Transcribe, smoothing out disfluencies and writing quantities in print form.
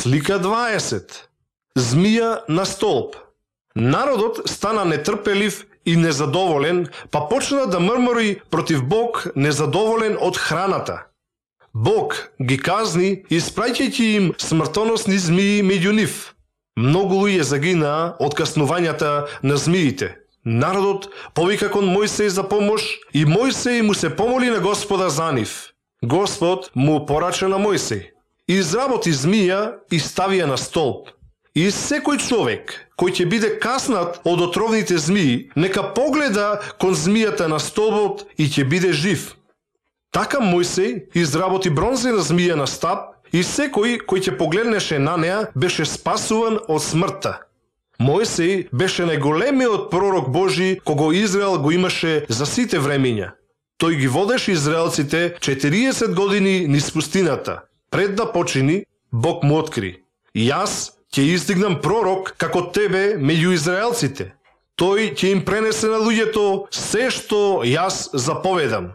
Слика 20. Змија на столб. Народот стана нетрпелив и незадоволен, па почна да мрмори против Бог, незадоволен од храната. Бог ги казни, испраќајќи им смртоносни змии меѓу нив. Многу луѓе загинаа од каснувањата на змиите. Народот повика кон Мојсеј за помош и Мојсеј му се помоли на Господа за нив. Господ му порача на Мојсеј: изработи змија и стави ја на столб. И секој човек кој ќе биде каснат од отровните змии, нека погледа кон змијата на столбот и ќе биде жив. Така Мојсеј изработи бронзена змија на стап и секој кој ќе погледнеше на неа беше спасуван од смртта. Мојсеј беше најголемиот пророк Божи кого Израел го имаше за сите времиња. Тој ги водеше израелците 40 години низ пустината. Пред да почини, Бог му откри: јас ќе издигнам пророк како тебе меѓу израелците. Тој ќе им пренесе на луѓето се што јас заповедам.